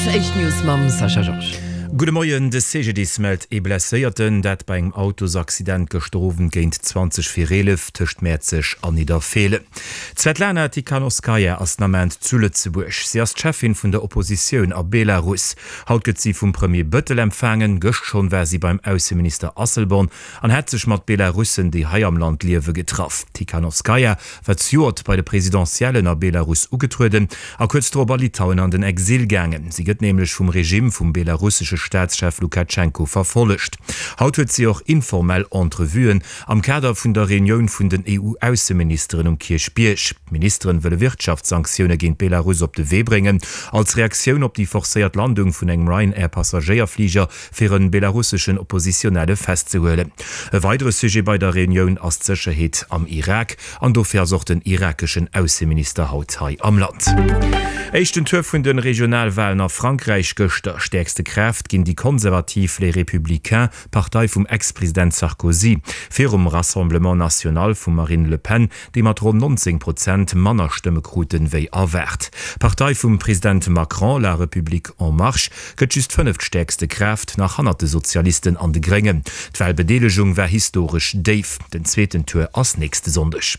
Éischt News mam Sascha Georges. Gudde Moien, De CGDIS mellt ee Blesséierten, dat bei engem Autosaccident gëschter Owend géint 20 vir 11 tëscht Mäerzeg an Nidderfeelen. D'Svetlana Tikhanovskaja ass den Ament zu Lëtzebuerg. Si ass d'Cheffin vun der Oppositioun a Belarus. Haut gëtt si vum Premier Bëttel empfaangen. Gëscht schonn war si beim Ausseminister Asselborn an hat sech mat Belarussen, déi hei am Land liewe, getraff. D'Tikhanovskaja war zejoert bei de Presidentiellen a Belarus ugetrueden a kuerz drop a Litauen an den Exil gaangen. Si gëtt nämlech vum Regime vum belarussesche Staatschef Lukatschenko verfollegt. Haut huet si och informell Entrevuen am Kader vun der Reunioun vun den EU-Ausseministeren um Kierchbierg. D'Ministeren wëlle Wirtschaftssanktioune géint Belarus op de Wee bréngen, als Reaktioun op déi forcéiert Landung vun engem Ryanair-Passagéierfliger fir e belarusseschen Oppositionelle festzehuelen. E weidere Sujet bei der Reunioun ass d'Sécherheet am Irak an dofir ass och den irakeschen Ausseminister haut hei am Land. Éischten Tour vun de Regionalwalen a Frankräich gëschter. Stäerkste Kraaft ginn déi konservativ Les Républicains, Partei vum Ex-President Sarkozy, virum Rassemblement National vum Marine Le Pen, déi mat ronn 19 Prozent manner Stëmme kruten, wéi erwaart. D'Partei vum President Macron, La République en Marche, gëtt just fënneftstäerkste Kraaft, nach hannert de Sozialisten an de Gréngen. D'Walbedeelegung war historesch déif. Den zweeten Tour ass nächste Sonndeg.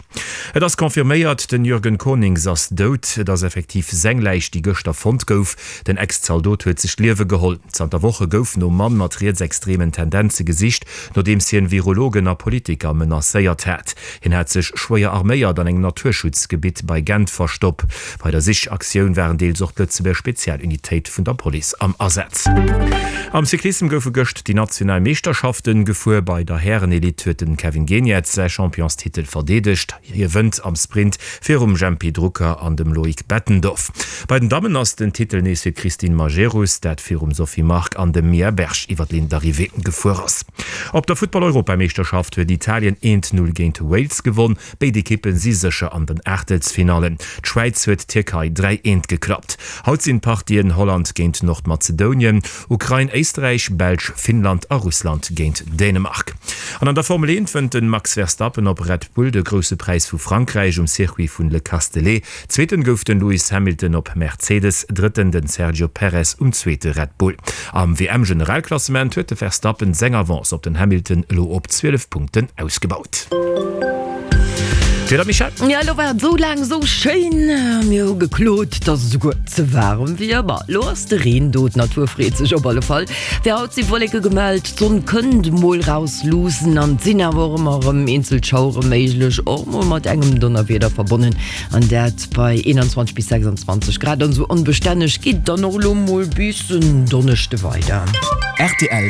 Et ass confirméiert, den Jürgen Conings ass dout. Et ass effektiv seng Läich, déi gëschter fonnt gouf. Den Ex-Zaldot huet sech d'Liewe geholl. Zanter Woche gouf nom Mann mat rietsextremen Tendenze gesicht, nodeems hien Virologen a Politiker menacéiert hat. Hien hat sech schwéier arméiert an engem Naturschutzgebitt bei Gent verstopp. Bei der Sichaktioun waren deels och d'Lëtzebuerger Spezialunitéit vun der Police am Asaz. Am Cyclissem goufe gëscht déi national Meeschterschaften gefuer. Bei der Härenelite huet de Kevin Geniets säi Championstitel verdeedegt. Hie wënnt am Sprint virum Jempy Drucker an dem Loïc Bettendorf. Bei den Dammen ass den Titel nees fir d'Christine Majerus, dat virum Sophie Mark an dem Mia Berg iwwer d'Linn d'Arrivée gefuer ass. Op der Futtball-Europameeschterschaft huet Italien 1, 0 géint Wales gewonn. Béid Ekippe si sécher an den Aachtelsfinallen. D'Schwäiz huet d'Tierkei 3, 1 geklappt. Haut sinn d'Partien Holland géint Nordmazedounien, Ukrain, Éisträich, Belsch, Finnland a Russland géint Dänemark. An an der Formel 1 wënnt de Max Verstappen op Red Bull de Grousse Präis vu Frankräich um Circuit vun Le Castellet. Zweeten gouf den Lewis Hamilton op Mercedes, Drëtten den Sergio Perez um zweete Red Bull. Am WM-Generalklassement huet de Verstappen seng Avance op den Hamilton elo op 12 Punkten ausgebaut. D'Wieder, Michèle? Jo, elo war et esou laang esou schéin. Mir hu geklot, dass et esouguer ze waarem wier. Ma elo ass de Reen do, d'Natur freet sech op alle Fall. Fir haut si Wolleke gemellt, d'Sonn kënnt mol rausluussen an et sinn awer och ëmmer erëm eenzel Schauere méiglech, och mol mat engem Donnerwieder verbonnen. An dat bei 21 bis 26 Grad. An esou onbestänneg geet et dann och elo mol bis en Donneschde weider. Rtl.